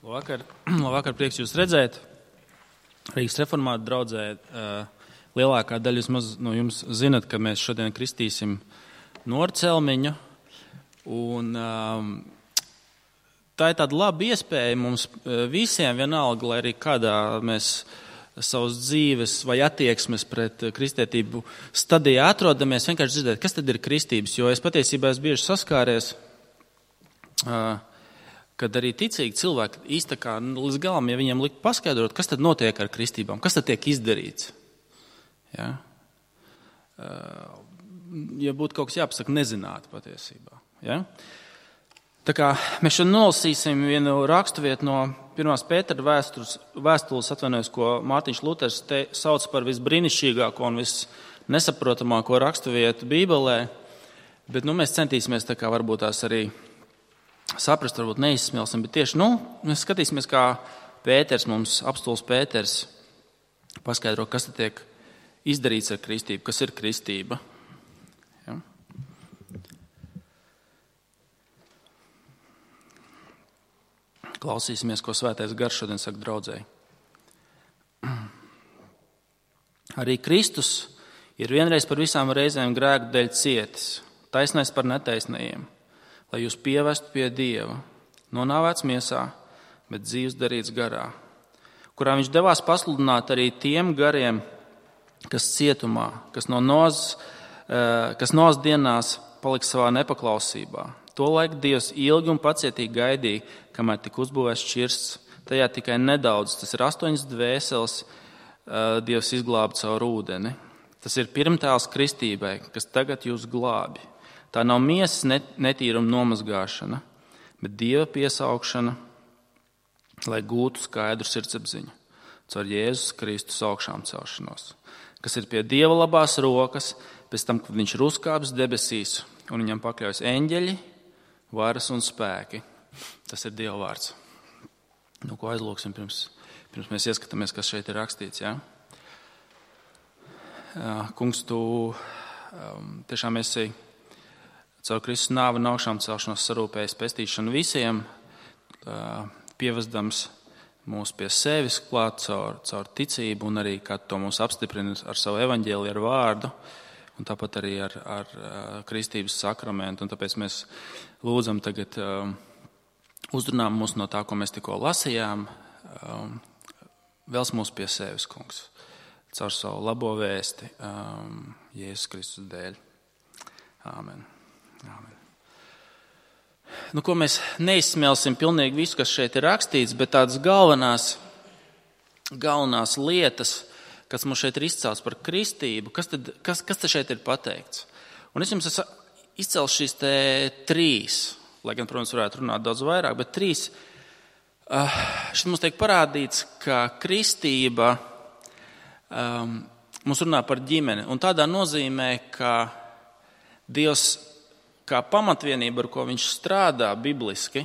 Labvakar, prieks jūs redzēt. Rīgas reformātu draudzē lielākā daļa vismaz no jums zinat, ka mēs šodien kristīsim Norcelmiņu. Un tā ir tāda laba iespēja mums visiem vienalga, lai arī kādā mēs savas dzīves vai attieksmes pret kristietību stadijā atrodamies, vienkārši dzirdēt, kas tad ir kristības. Jo es patiesībā esmu bieži saskāries, kad arī ticīgi cilvēki īsti kā līdz galam, ja viņiem likt paskaidrot, kas tad notiek ar kristībām, kas tad tiek izdarīts. Ja, ja būtu kaut kas jāpasaka, nezinātu patiesībā. Ja? Tā kā mēs šodien nolasīsim vienu raksturvietu no 1. Pētera vēstules, ko Mārtiņš Luters sauc par visbrīnišķīgāko un visnesaprotamāko raksturvietu Bībelē, bet mēs centīsimies tā kā varbūt tās arī saprast, varbūt neizsmelsim, bet tieši, mēs skatīsimies, kā Pēters mums, apostols Pēters, paskaidro, kas te tiek izdarīts ar kristību, kas ir kristība. Ja? Klausīsimies, ko Svētais Gars šodien saka draudzēji. Arī Kristus ir vienreiz par visām reizēm grēku dēļ cietis, taisnais par netaisnajiem, lai jūs pievestu pie Dieva, nonāvēts miesā, bet dzīves darīts garā, kurā viņš devās pasludināt arī tiem gariem, kas cietumā, kas Noas dienās paliks savā nepaklausībā. Tolaik Dievs ilgi un pacietīgi gaidīja, kamēr tika uzbūvēts šķirsts, tajā tikai nedaudz, tas ir 8 dvēseles, Dievs izglāba caur ūdeni. Tas ir pirmtēls kristībai, kas tagad jūs glābi. Tā nav miesas netīruma nomazgāšana, bet Dieva piesaukšana, lai gūtu skaidru sirdsapziņu caur Jēzus Kristus augšām celšanos, kas ir pie Dieva labās rokas, pēc tam, kad viņš ir uzkāpis debesīs un viņam pakļaujas eņģeļi, varas un spēki. Tas ir Dieva vārds. Ko aizlūksim pirms mēs ieskatāmies, kas šeit ir rakstīts. Ja? Kungs, tu tiešām esi caur Kristus nāvi un augšām celšanos sarūpējis pestīšanu visiem, pievezdams mūs pie sevis klāt caur ticību un arī, kā to mums apstiprina ar savu evaņģēliju, ar vārdu, un tāpat arī ar kristības sakramentu. Un tāpēc mēs lūdzam tagad uzrunām mūs no tā, ko mēs tikko lasījām, vēls mūs pie sevis, kungs, caur savu labo vēsti Jēzus Kristus dēļ. Āmen. Amen. Ko mēs neizsmelsim pilnīgi visu, kas šeit ir rakstīts, bet tādas galvenās lietas, kas mums šeit ir izcelts par kristību, kas te šeit ir pateikts. Un es jums izcelšu šīs te 3, lai gan, protams, varētu runāt daudz vairāk, bet 3. Šeit mums tiek parādīts, ka kristība mums runā par ģimeni. Un tādā nozīmē, ka Dievs kā pamatvienība, ar ko viņš strādā bibliski,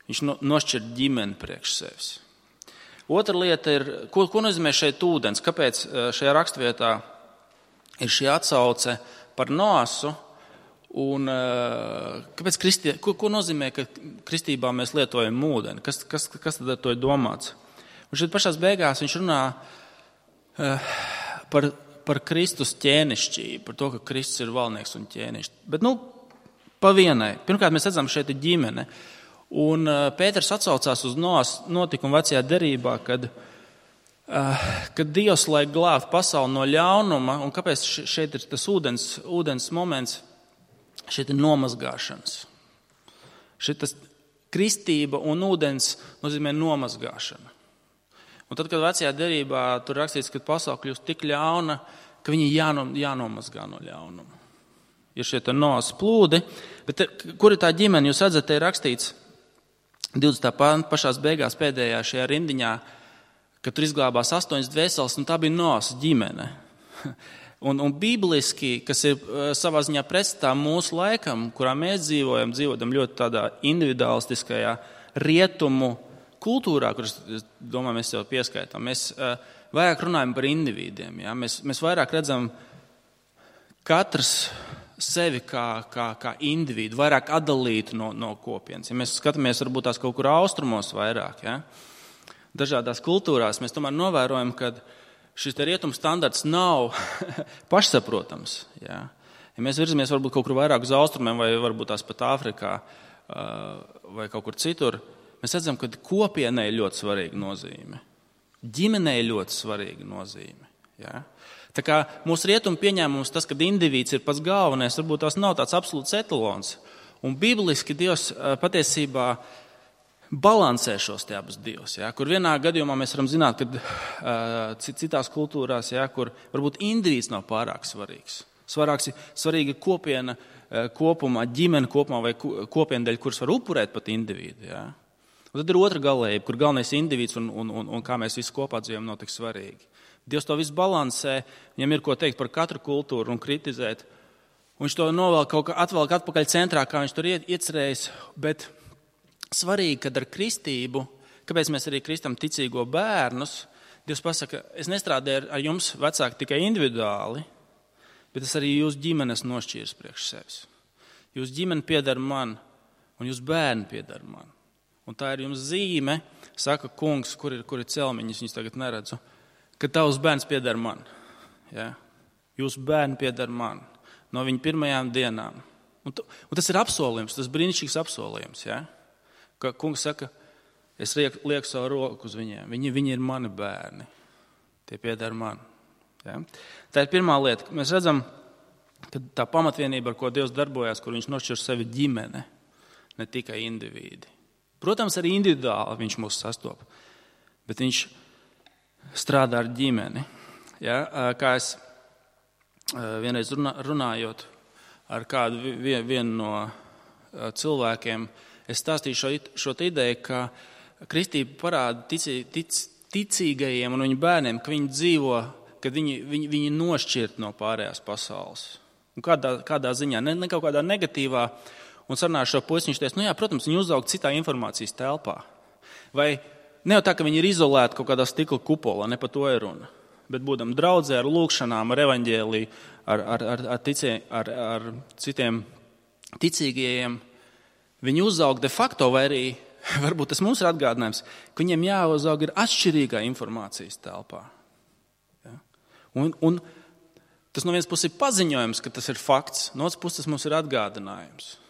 viņš nošķir ģimeni priekš sevis. Otra lieta ir, ko nozīmē šeit ūdens? Kāpēc šajā rakstvietā ir šī atsauce par Noasu? Un kāpēc ko nozīmē, ka kristībā mēs lietojam ūdeni? Kas tad ar to ir domāts? Un šeit pašās beigās viņš runā par Kristus ķēnišķību, par to, ka Kristus ir valdnieks un ķēnišķis. Bet, pa vienai. Pirmkārt, mēs redzam, šeit ir ģimene. Un Pēters atsaucās uz Noas notikumu vecajā derībā, kad Dievs, lai glābtu pasauli no ļaunuma, un kāpēc šeit ir tas ūdens moments, šeit ir nomazgāšanas. Šeit tas kristība un ūdens nozīmē nomazgāšana. Un tad, kad vecajā derībā tur rakstīts, ka pasaule kļūst tik ļauna, ka viņi jānomazgā no ļaunuma. Ir šie Noas plūdi, bet kur ir tā ģimene? Jūs redzat, te ir rakstīts 20. panta pašās beigās pēdējā šajā rindiņā, ka tur izglābās 8 dvēseles, un tā bija Noas ģimene. Un bibliski, kas ir savā ziņā pretstatā mūsu laikam, kurā mēs dzīvojam ļoti tādā individualistiskajā rietumu kultūrā, kuras, es domāju, mēs jau pieskaitām. Mēs vairāk runājam par individiem. Ja? Mēs vairāk redzam katrs sevi kā individu, vairāk atdalītu no kopienas. Ja mēs skatāmies varbūt tās kaut kur austrumos vairāk, ja? Dažādās kultūrās, mēs tomēr novērojam, ka šis rietumu standarts nav pašsaprotams. Ja? Ja mēs virzamies varbūt kaut kur vairāk uz austrumiem vai varbūt tās pat Āfrikā vai kaut kur citur, mēs redzam, ka kopienai ir ļoti svarīga nozīme. Ģimenei ir ļoti svarīga nozīme. Ja? Tā kā mūsu rietumu pieņēmums, tas, kad indivīds ir pats galvenais, varbūt tās nav tāds absolūts etalons. Un bibliski Dievs patiesībā balansē šos te abus divus. Ja? Kur vienā gadījumā mēs varam zināt, ka citās kultūrās, ja, kur varbūt indivīds nav pārāk svarīgs. Svarīga kopiena kopumā, ģimene kopumā vai kopiena dēļ, kuras var upurēt pat individu. Ja? Un tad ir otra galējība, kur galvenais indivīds un kā mēs visi kopā dzīvojam, nav tik svarīgi. Dievs to visu balansē, viņam ir ko teikt par katru kultūru un kritizēt. Un viņš to atvelk atpakaļ centrā, kā viņš tur iecerējis. Bet svarīgi, kad ar kristību, kāpēc mēs arī kristam ticīgo bērnus, Dievs pasaka, es nestrādāju ar jums vecāki tikai individuāli, bet es arī jūs ģimenes nošķīru priekš sevis. Jūs ģimene pieder man, un jūs bērni pieder man. Un tā ir jums zīme, saka kungs, kur ir celmiņas, viņas tagad neredzu, ka tavs bērns pieder man. Ja? Jūs bērni pieder man no viņa pirmajām dienām. Un tas ir apsolījums, tas brīnišķīgs apsolījums. Ja? Ka kungs saka, es lieku savu roku uz viņiem. Viņi ir mani bērni. Tie pieder man. Ja? Tā ir pirmā lieta. Mēs redzam, ka tā pamatvienība, ar ko Dievs darbojās, kur viņš nošķir sevi ģimene, ne tikai indivīdi. Protams, arī individuāli viņš mūs sastop, bet viņš strādā ar ģimeni. Ja? Kā es vienreiz runājot ar kādu vienu no cilvēkiem, es stāstīju šo ideju, ka kristība parāda ticīgajiem un viņu bērniem, ka viņi dzīvo, ka viņi nošķirt no pārējās pasaules. Un kādā ziņā, ne kaut kādā negatīvā. Un sarunāju šo puisi, viņš teica, protams, viņi uzaug citā informācijas telpā. Vai ne jau tā, ka viņi ir izolēti kaut kādā stikla kupolā, ne par to ir runa. Bet būdam draudzē ar lūkšanām, ar evaņģēliju, ar citiem ticīgajiem, viņi uzaug de facto, vai arī, varbūt tas mums ir atgādinājums, ka viņiem jāuzaug ir atšķirīgā informācijas telpā. Ja? Un tas no vienas puses ir paziņojums, ka tas ir fakts, no otras puses mums ir atgādinājums.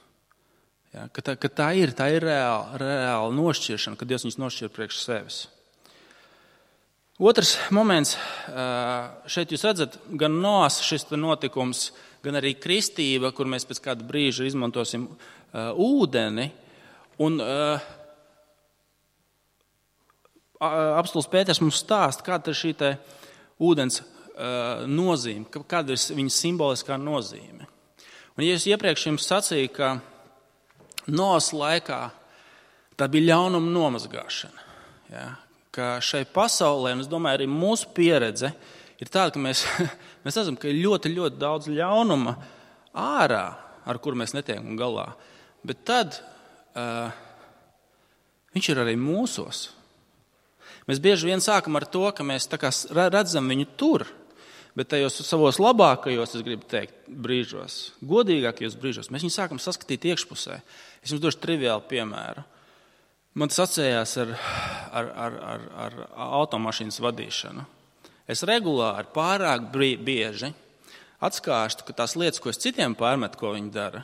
Ja, ka tā ir reāla nošķiršana, kad Dievs viņus nošķir priekš sevis. Otrs moments, šeit jūs redzat, gan Noas šis notikums, gan arī kristība, kur mēs pēc kāda brīža izmantosim ūdeni. Un apostuls Pēters mums stāsta, kāda ir šī te ūdens nozīme, kāda ir viņa simboliskā nozīme. Un ja es iepriekš jums sacīju, ka Noas laikā tā bija ļaunuma nomazgāšana. Ja? Ka šai pasaulē, un es domāju, arī mūsu pieredze ir tāda, ka mēs redzam, ka ir ļoti, ļoti daudz ļaunuma ārā, ar kuru mēs netiekam galā. Bet tad viņš ir arī mūsos. Mēs bieži vien sākam ar to, ka mēs tā kā redzam viņu tur, bet tajos savos labākajos, es gribu teikt, brīžos, godīgākajos brīžos, mēs viņu sākam saskatīt iekšpusē. Es jums došu triviālu piemēru. Man tas atcējās ar automašīnas vadīšanu. Es regulāri pārāk bieži atskārstu, ka tās lietas, ko es citiem pārmetu, ko viņi dara,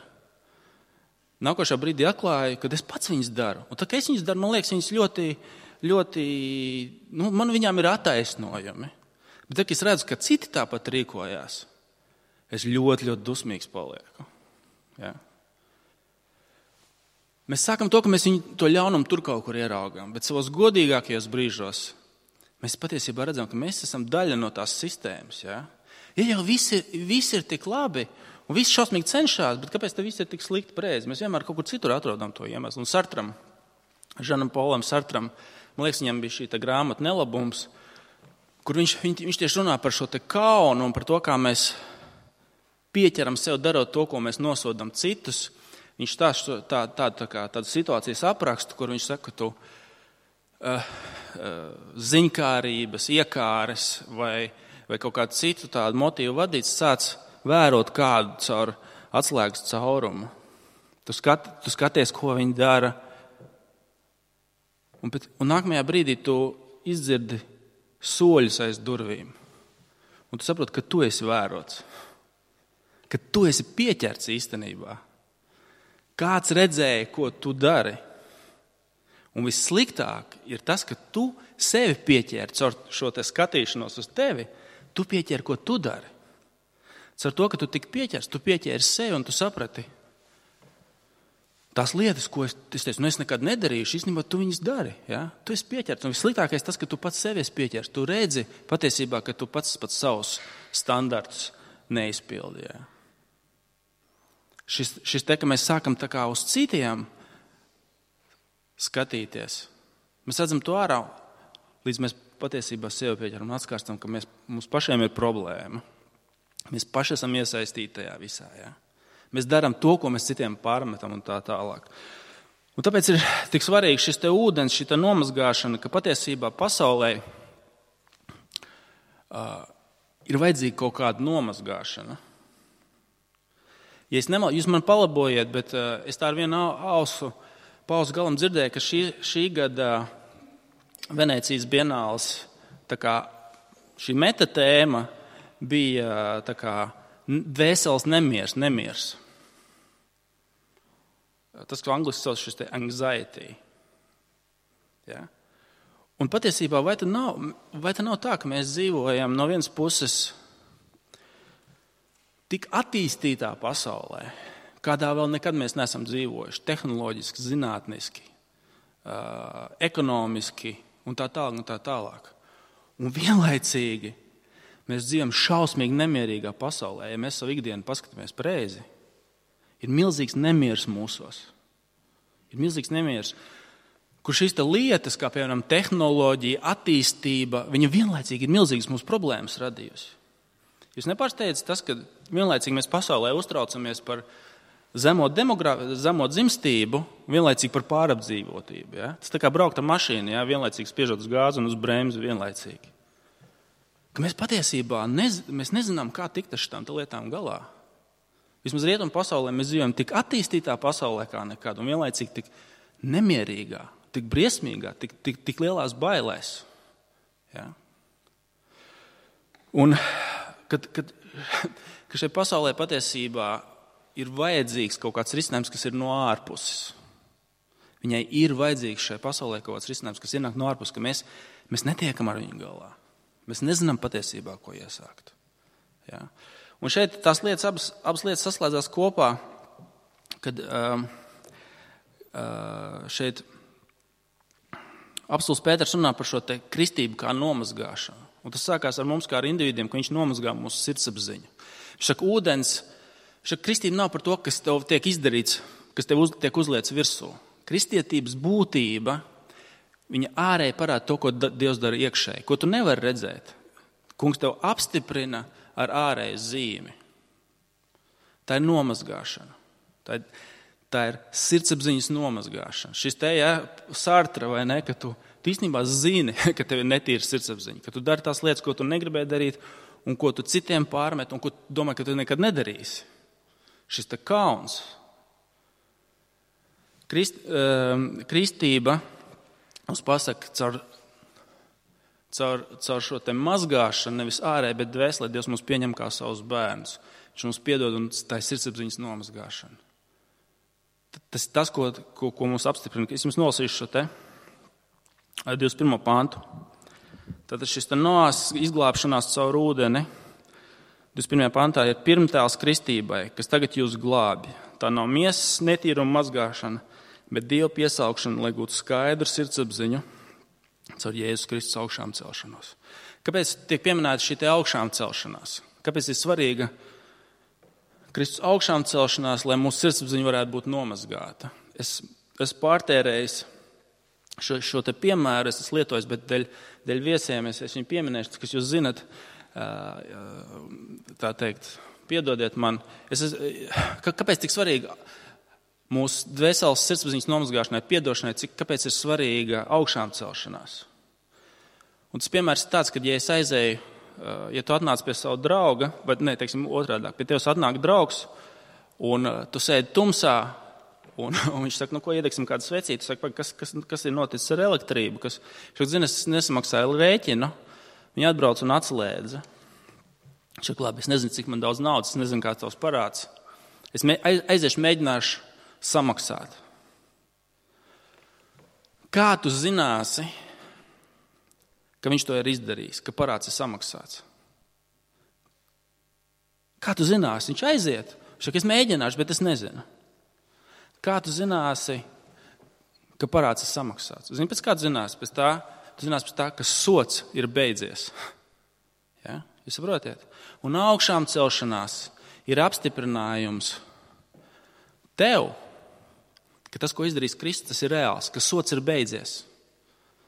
nākošā brīdī atklāju, ka es pats viņas daru. Un tā, ka es viņas daru, man liekas, viņas ļoti, man viņām ir attaisnojumi. Bet tad, kad es redzu, ka citi tāpat rīkojās, es ļoti, ļoti dusmīgs palieku. Ja? Mēs sākam to, ka mēs viņu to ļaunumu tur kaut kur ieraugām, bet savos godīgākajos brīžos mēs patiesībā redzam, ka mēs esam daļa no tās sistēmas. Ja, jau visi ir tik labi un visi šausmīgi cenšas, bet kāpēc te viss ir tik slikti pareizi? Mēs vienmēr kaut kur citur atrodam to iemeslu. Un Sartram, Žanam Polam Sartram, man liekas, viņam bija šī grāmata Nelabums, kur viņš tieši runā par šo te kaunu un par to, kā mēs pieķeram sev darot to, ko mēs nosodam citus. Viņš tādu situācijas aprakstu, kur viņš saka, ka tu ziņkārības, iekāres vai kaut kādu citu tādu motīvu vadīts, sāc vērot kādu caur atslēgas caurumu. Tu skaties, ko viņi dara. Un nākamajā brīdī tu izdzirdi soļus aiz durvīm. Un tu saproti, ka tu esi vērots. Ka tu esi pieķerts īstenībā. Kāds redzēja, ko tu dari. Un vissliktāk ir tas, ka tu sevi pieķēri caur šo te skatīšanos uz tevi. Tu pieķēri, ko tu dari. Caur to, ka tu tik pieķers, tu pieķēri sevi un tu saprati. Tās lietas, ko es teicu, es nekad nedarīšu, īstenībā tu viņas dari. Ja? Tu esi pieķerts. Un vissliktākais tas, ka tu pats sevi esi pieķers. Tu redzi patiesībā, ka tu pats savus standartus neizpildi. Ja? Šis te, ka mēs sākam tā kā uz citiem skatīties. Mēs redzam to ārā, līdz mēs patiesībā sevi pieķeram un atskārstam, ka mums pašiem ir problēma. Mēs paši esam iesaistīti tajā visā. Ja? Mēs darām to, ko mēs citiem pārmetam un tā tālāk. Un tāpēc ir tik svarīgi šis te ūdens, šī nomazgāšana, ka patiesībā pasaulē ir vajadzīga kaut kāda nomazgāšana. Ja es nemaldos, jūs man palabojiet, bet es tā ar vienu pausu galam dzirdēju, ka šī gada Venēcijas bienāles tā kā šī metatēma bija tā kā dvēseles nemiers. Tas, ko angliski sauc šis te anxiety. Ja? Un patiesībā vai tā nav tā, ka mēs dzīvojam no vienas puses tik attīstītā pasaulē, kādā vēl nekad mēs neesam dzīvojuši, tehnoloģiski, zinātniski, ekonomiski un tā tālāk. Un vienlaicīgi mēs dzīvojam šausmīgi nemierīgā pasaulē. Ja mēs savu ikdienu paskatāmies pareizi, ir milzīgs nemieris mūsos. Ir milzīgs nemieris, kur šīs lietas, kā piemēram tehnoloģija, attīstība, viņa vienlaicīgi ir milzīgas mūsu problēmas radījusi. Jūs nepārsteidzat tas, ka vienlaicīgi mēs pasaulē uztraucamies par zemo dzimstību, vienlaicīgi par pārapdzīvotību. Ja? Tas tā kā braukt ar mašīnu, ja? Vienlaicīgi spiežot uz gāzi un uz bremzi vienlaicīgi. Ka mēs patiesībā mēs nezinām, kā tikt ar šitām lietām galā. Vismaz rietumu pasaulē mēs dzīvojam tik attīstītā pasaulē kā nekad, un vienlaicīgi tik nemierīgā, tik briesmīgā, tik lielās bailēs. Ja? Un kad šai pasaulē patiesībā ir vajadzīgs kaut kāds risinājums, kas ir no ārpuses. Viņai ir vajadzīgs šai pasaulē kaut kāds risinājums, kas ienāk no ārpuses, ka mēs netiekam ar viņu galā. Mēs nezinām patiesībā, ko iesākt. Ja? Un šeit tās lietas, abas lietas saslēdzās kopā, kad šeit apostuls Pēters runā par šo te kristību kā nomazgāšanu. Un tas sākās ar mums kā ar individiem, ka viņš nomazgā mūsu sirdsapziņu. Viņš saka, ūdens, kristība nav par to, kas tev tiek izdarīts, kas tev tiek uzliets virsū. Kristietības būtība, viņa ārēji parāda to, ko Dievs dara iekšēji, ko tu nevari redzēt. Kungs tev apstiprina ar ārēju zīmi. Tā ir nomazgāšana. Tā ir sirdsapziņas nomazgāšana. Šis te, Sartra vai ne, ka tu īstenībā zini, ka tev ir netīra sirdsapziņa, ka tu dari tās lietas, ko tu negribēji darīt, un ko tu citiem pārmet, un ko tu domā, ka tu nekad nedarīsi. Šis te kauns. Kristība mums pasaka caur šo te mazgāšanu, nevis ārēji, bet dvēselē Dievs mums pieņem kā savus bērnus. Viņš mums piedod, un tā ir sirdsapziņas nomazgāšana. Tas ir tas, ko mums apstiprina. Es jums nolasīšu šo te 21. pantu. Tātad šis te Noās izglābšanās caur ūdeni 21. pantā ir pirmtēls kristībai, kas tagad jūs glābj. Tā nav miesas netīruma mazgāšana, bet Dieva piesaukšana, lai gūtu skaidru sirdsapziņu caur Jēzus Kristus augšām celšanos. Kāpēc tiek pieminēta šī te augšām celšanās? Kāpēc ir svarīga Kristus augšām celšanās, lai mūsu sirdsapziņa varētu būt nomazgāta? Es pārtērējis šo te piemēru, es esmu lietojis, bet dēļ viesiem es viņu pieminēšu, kas jūs zinat, tā teikt, piedodiet man. Kāpēc tik svarīga mūsu dvēseles sirdsapziņas nomazgāšanai, piedošanai, kāpēc ir svarīga augšām celšanās? Un tas piemērs ir tāds, ka ja es aizēju, ja tu atnāc pie savu drauga, vai ne, teiksim otrādāk, pie tevis atnāk draugs, un tu sēdi tumsā, un viņš saka, ko iedegsim kādu svecīti. Tu saki, kas ir noticis ar elektrību? Viņš saka, zini, es nesamaksāju rēķinu. Viņi atbrauc un atslēdza. Viņš saka, labi, es nezinu, cik man daudz naudas, es nezinu, kāds tavs parāds. Es aiziešu, mēģināšu samaksāt. Kā tu zināsi, ka viņš to ir izdarījis, ka parāds ir samaksāts? Kā tu zināsi? Viņš aiziet. Viņš saka, es mēģināšu, bet es nezinu. Kā tu zināsi, ka parāds ir samaksāts? Zini, pēc kā tu zināsi? Tu zināsi pēc tā, ka sots ir beidzies. Ja? Jūs saprotiet? Un augšām celšanās ir apstiprinājums tev, ka tas, ko izdarīs Kristus, tas ir reāls, ka sots ir beidzies.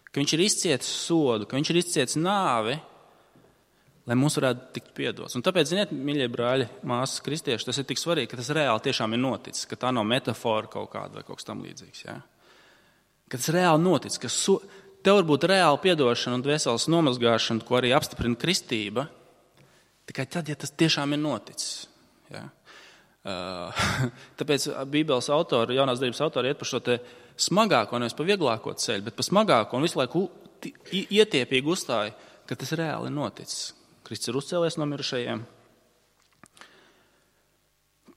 Ka viņš ir izcietis sodu, ka viņš ir izcietis nāvi, lai mums varētu tikt piedots. Un tāpēc, ziniet, mīļie brāļi, māsas, kristieši, tas ir tik svarīgi, ka tas reāli tiešām ir noticis, ka tā nav metafora kaut kāda vai kaut kas tam līdzīgs. Ja? Ka tas reāli noticis, ka tev var būt reāla piedošana un dvēseles nomazgāšana, ko arī apstiprina kristība, tikai tad, ja tas tiešām ir noticis. Ja? Tāpēc Bībeles autori, jaunās derības autori iet par šo te smagāko, nevis pa vieglāko ceļu, bet pa smagāko un visu laiku ietiepīgi uzstāja, ka tas reāli ir noticis. Kristus ir uzcēlies no mirušajiem.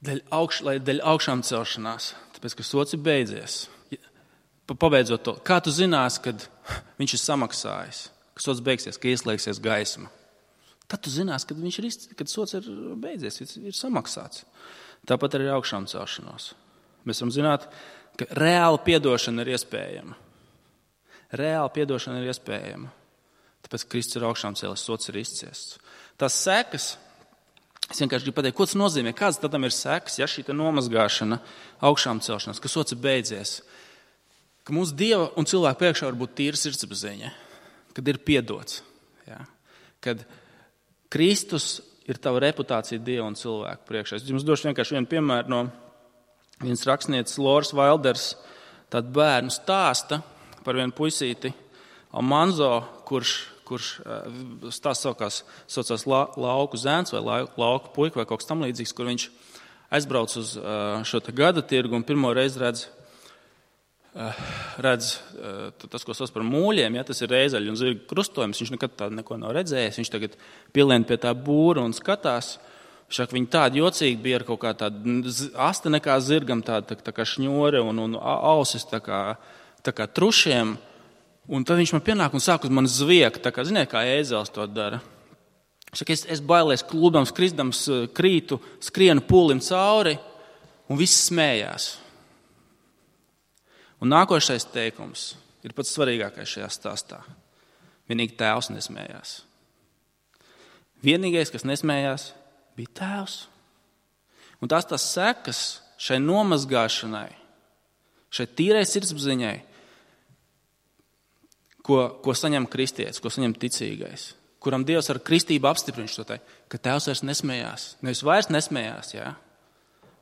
Dēļ augšām celšanās, tāpēc, ka sots ir beidzies. Pabeidzot to, kā tu zinās, kad viņš ir samaksājis, ka sots beigsies, ka ieslēgsies gaisma? Tad tu zinās, kad sots ir beidzies, ir samaksāts. Tāpat arī augšām celšanos. Mēs varam zināt, ka reāla piedošana ir iespējama. Reāla piedošana ir iespējama. Tāpēc Kristus ir augšām cēlies, sots ir izciests. Tās sekas, es vienkārši gribu pateikt, ko tas nozīmē, kāds tam ir sekas, ja šī nomazgāšana, augšām celšanās, ka sots ir beidzies, ka mūsu Dieva un cilvēku priekšā var būt tīra sirdsapziņa, kad ir piedots, ja? Kad Kristus ir tava reputācija Dieva un cilvēku priekšā. Es jums došu vienkārši vienu piemēru no vienas rakstnieces Loras Vailders, tādu bērnu stāsta par vienu puisīti Almanzo, kurš stāsts saucās lauku zēns vai lauku puika vai kaut kas tam līdzīgs, kur viņš aizbrauc uz šo te gada tirgu un pirmo reizi redz tas, ko sauc par mūļiem, ja, tas ir reizaļu un zirgu krustojums. Viņš nekad tādu neko nav redzējis. Viņš tagad pielien pie tā būra un skatās. Viņš saka, viņi tādi jocīgi bija ar kaut kā tādu asta nekā zirgam, tā kā šņore un ausis tā kā trušiem. Un tad viņš man pienāk un sāk uz mani zviegt, tā kā, ziniet, kā ēzels to dara. Viņš saka, es bailies klūdams, kristams, krītu, skrienu pūlim cauri, un viss smējās. Un nākošais teikums ir pats svarīgākais šajā stāstā. Vienīgi tēvs nesmējās. Vienīgais, kas nesmējās, bija tēvs. Un tās sekas šai nomazgāšanai, šai tīrai sirdsapziņai, ko saņem kristietis, ko saņem ticīgais, kuram Dievs ar kristību apstiprina šo te, ka tēvs vairs nesmējās. Nevis vairs nesmējās, jā,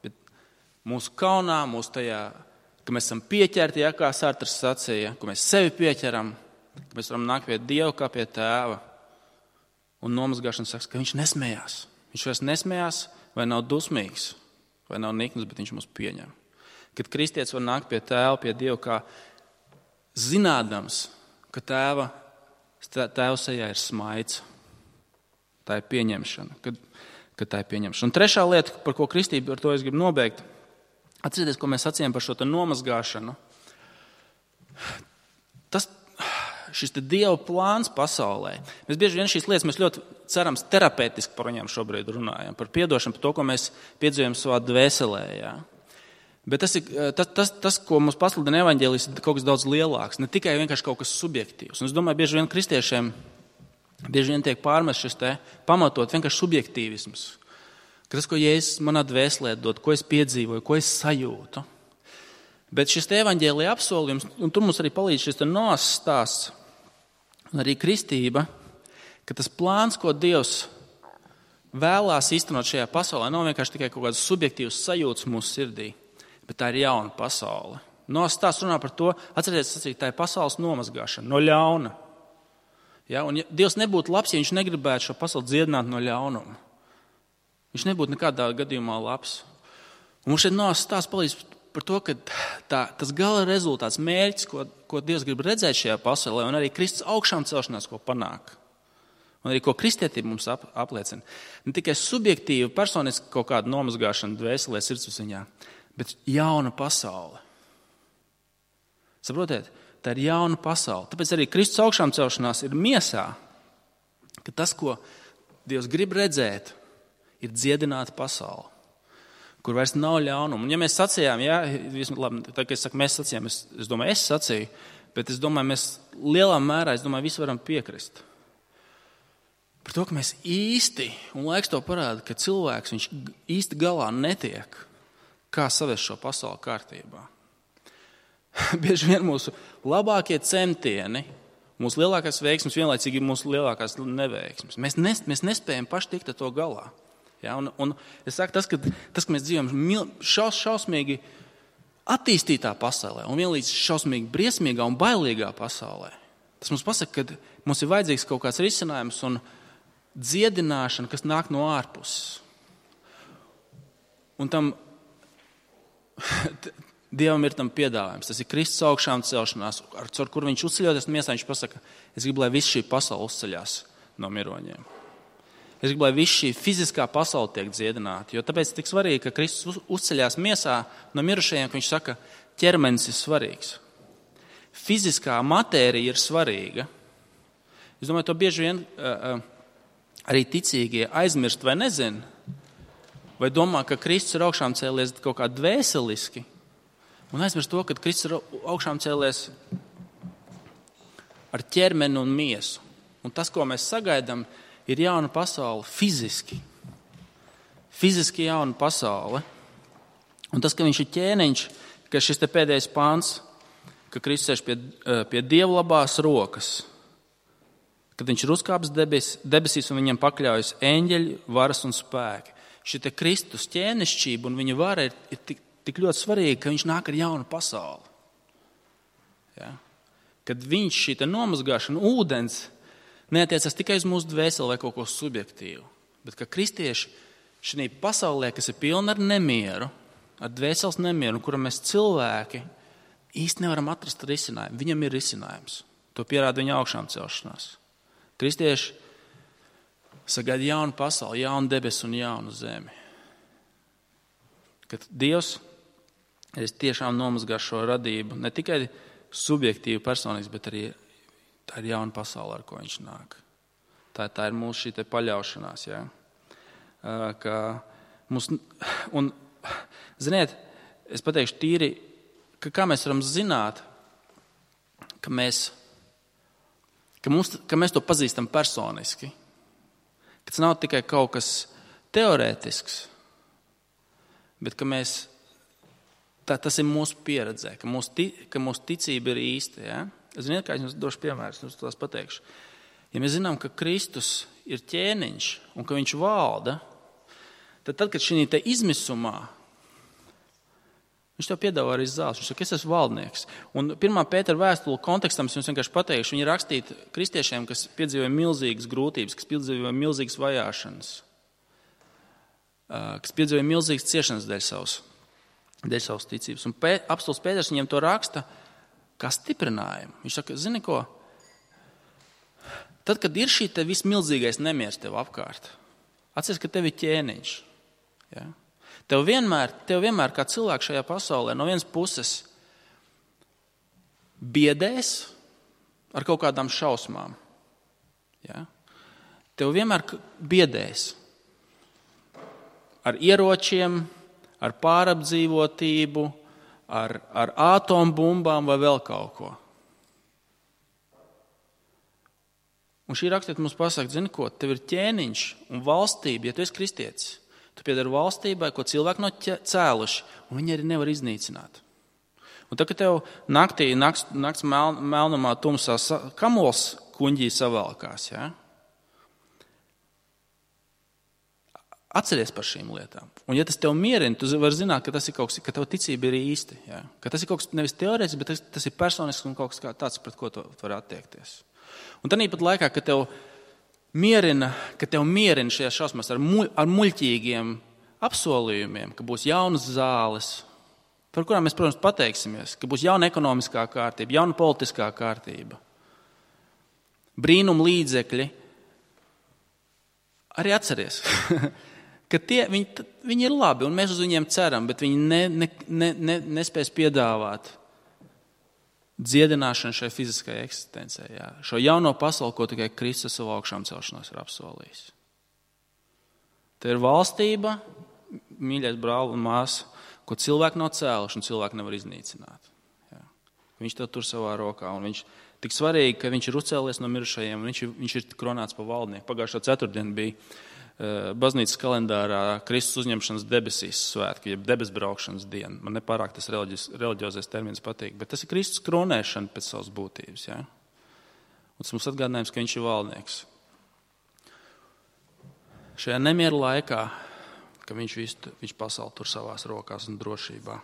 bet mūsu kaunā, mūsu tajā, ka mēs esam pieķerti, jā, kā Sartrs sacīja, ka mēs sevi pieķeram, ka mēs varam nākt pie Dieva kā pie tēva. Un nomazgāšana saka, ka viņš nesmējās. Viņš vairs nesmējās vai nav dusmīgs, vai nav nikns, bet viņš mūs pieņem. Kad kristietis var nākt pie tēva, pie Dieva kā zinādams, ka tēva sejā ir smaids. Tā ir pieņemšana. Kad tā ir pieņemšana. Un trešā lieta, par ko kristība, ar to es gribu nobeigt, atcerieties, ko mēs sacījām par šo nomazgāšanu. Šis Dieva plāns pasaulē. Mēs bieži vien šīs lietas mēs ļoti cerams terapeitiski par viņām šobrīd runājam. Par piedošanu, par to, ko mēs piedzīvojam savā dvēselē. Jā. Bet tas, ko mums pasludina evaņģēlijs, ir kaut kas daudz lielāks. Ne tikai vienkārši kaut kas subjektīvs. Un es domāju, bieži vien kristiešiem tiek pārmest šis pamatot vienkārši subjektīvisms. Ka tas, ko Jēzus manā dvēselē dod, ko es piedzīvoju, ko es sajūtu. Bet šis evaņģēlija apsolījums, un tur mums arī palīdz šis Noas stāsts, un arī kristība, ka tas plāns, ko Dievs vēlās īstenot šajā pasaulē, nav vienkārši tikai kaut kāds subjektīvs sajūts mūsu sirdī, bet tā ir jauna pasaule. Noas stāsts runā par to, atcerieties, tā ir pasaules nomazgāšana no ļauna. Ja, un ja Dievs nebūtu labs, ja viņš negribētu šo pasauli dziedināt no ļaunuma. Viņš nebūtu nekādā gadījumā labs. Un mums šeit nav stāsts palīdz par to, ka tas gala rezultāts, mērķis, ko Dievs grib redzēt šajā pasaulē, un arī Kristus augšām celšanās, ko panāk, un arī ko kristietība mums apliecina. Ne tikai subjektīva, personiski kaut kāda nomazgāšana dvēselē, sirdsapziņā, bet jauna pasaule. Saprotiet? Tā ir jauna pasaule. Tāpēc arī Kristus augšām celšanās ir miesā, ka tas, ko Dievs grib redzēt, ir dziedināta pasaule, kur vairs nav ļaunuma. Un ja mēs sacījām, labi, tā kā es saku, mēs sacījām, es domāju, es sacīju, bet es domāju, mēs lielā mērā, visi varam piekrist. Par to, ka mēs īsti, un laiks to parāda, ka cilvēks, viņš īsti galā netiek, kā savest šo pasauli kārtībā. Bieži vien mūsu labākie centieni, mūsu lielākās veiksmes, vienlaicīgi ir mūsu lielākās neveiksmes. Mēs nespējam paši tikt ar to galā. Ja? Un es saku, tas, ka mēs dzīvojam šausmīgi attīstītā pasaulē un vienlīdz šausmīgi briesmīgā un bailīgā pasaulē, tas mums pasaka, ka mums ir vajadzīgs kaut kāds risinājums un dziedināšana, kas nāk no ārpuses. Un tam Dievam ir tam piedāvājums. Tas ir Kristus augšām celšanās, ar kur viņš uzceļoties miesā, viņš pasaka, es gribu, lai viss šī pasaule uzceļās no miroņiem. Es gribu, lai viss šī fiziskā pasaule tiek dziedināta, jo tāpēc ir tik svarīgi, ka Kristus uzceļās miesā no mirušajiem, ka viņš saka, ķermenis ir svarīgs. Fiziskā matērija ir svarīga. Es domāju, to bieži vien arī ticīgie aizmirst vai nezin, vai domā, ka Kristus ir augšām cēlies kaut kā dvēseliski, un aizmirst to, ka Kristus ir augšām cēlies ar ķermeni un miesu. Un tas, ko mēs sagaidām, ir jauna pasaule fiziski. Fiziski jauna pasaule. Un tas, ka viņš ir ķēniņš, ka šis te pēdējais pāns, ka Kristus sēž pie Dieva labās rokas, kad viņš ir uzkāpis debesīs un viņam pakļaujas eņģeļi, varas un spēki. Šī te Kristus ķēnišķība un viņa vara ir tik ļoti svarīga, ka viņš nāk ar jaunu pasauli. Ja? Kad viņš šī te nomazgāšana, ūdens, neatiecas tikai uz mūsu dvēseli vai kaut ko subjektīvu, bet ka kristieši šī pasaulē, kas ir pilna ar nemieru, ar dvēseles nemieru, kura mēs cilvēki īsti nevaram atrast risinājumu. Viņam ir risinājums. To pierāda viņa augšām celšanās. Kristieši sagaida jaunu pasauli, jaunu debesu un jaunu zemi. Kad Dievs tiešām nomazgās šo radību, ne tikai subjektīvi personīgs, bet arī tā ir jauna pasaule, ar ko viņš nāk. Tā ir mūsu šī te paļaušanās. Ja? Un, ziniet, es pateikšu tīri, ka kā mēs varam zināt, ka mēs to pazīstam personiski, ka tas nav tikai kaut kas teorētisks, bet ka tas ir mūsu pieredzē, ka mūsu ticība ir īsta. Ja? Ziniet, kā es jums došu piemērus, jums tās pateikšu. Ja mēs zinām, ka Kristus ir ķēniņš un ka viņš valda, tad, kad šī te izmisumā, viņš tev piedāvā arī zāles. Viņš saka, es esmu valdnieks. Un 1. Pētera vēstule kontekstam es jums vienkārši pateikšu, viņi rakstīti kristiešiem, kas piedzīvoja milzīgas grūtības, kas piedzīvoja milzīgas vajāšanas, kas piedzīvoja milzīgas ciešanas dēļ savas ticības. Un apostols Pēters viņiem to raksta kā stiprinājumu. Viņš saka, zini ko? Tad, kad ir šī te vismilzīgais nemieris tev apkārt, atceries, ka tev ir ķēniņš. Ja? Tev vienmēr kā cilvēks šajā pasaulē no vienas puses biedēs ar kaut kādām šausmām. Ja? Tev vienmēr biedēs ar ieročiem, ar pārapdzīvotību, ar atombumbām vai vēl kaut ko. Un šī rakstiet mums pasaka, zini ko, tev ir ķēniņš un valstība, ja tu esi kristietis. Tu piedari valstībai, ko cilvēki no cēluši, un viņi arī nevar iznīcināt. Un tad, kad tev nakts melnumā tumsā kamols kuņģī savalkās, ja? Atceries par šīm lietām. Un ja tas tev mierina, tu vari zināt, ka tas ir kaut kas, ka tev ticība ir īsti. Ja? Ka tas ir kaut kas nevis teorētisks, bet tas ir personisks un kaut kas tāds, pret ko tu vari attiekties. Un tad pat laikā, ka tev mierina šajās šausmās ar muļķīgiem apsolījumiem, ka būs jaunas zāles, par kurām mēs, protams, pateiksimies, ka būs jauna ekonomiskā kārtība, jauna politiskā kārtība, brīnum līdzekļi, arī atceries, ka viņi ir labi un mēs uz viņiem ceram, bet viņi nespēs piedāvāt dziedināšanu šai fiziskajai eksistencei. Jā. Šo jauno pasauli, ko tikai Kristus savu augšām celšanos ir apsolījis. Tā ir valstība, mīļais brāl un māsa, ko cilvēki nav cēluši un cilvēki nevar iznīcināt. Jā. Viņš to tur savā rokā un viņš tik svarīgi, ka viņš ir uzcēlies no mirušajiem un viņš ir kronēts par valdnieku. Pagājušā ceturtdiena bija baznīcas kalendārā Kristus uzņemšanas debesīs svētki, jeb debesbraukšanas diena. Man nepārāk tas reliģiozais termins patīk, bet tas ir Kristus kronēšana pēc savas būtības. Ja? Un tas mums atgādinājums, ka viņš ir valdnieks. Šajā nemieru laikā, ka viņš pasauli tur savās rokās un drošībā.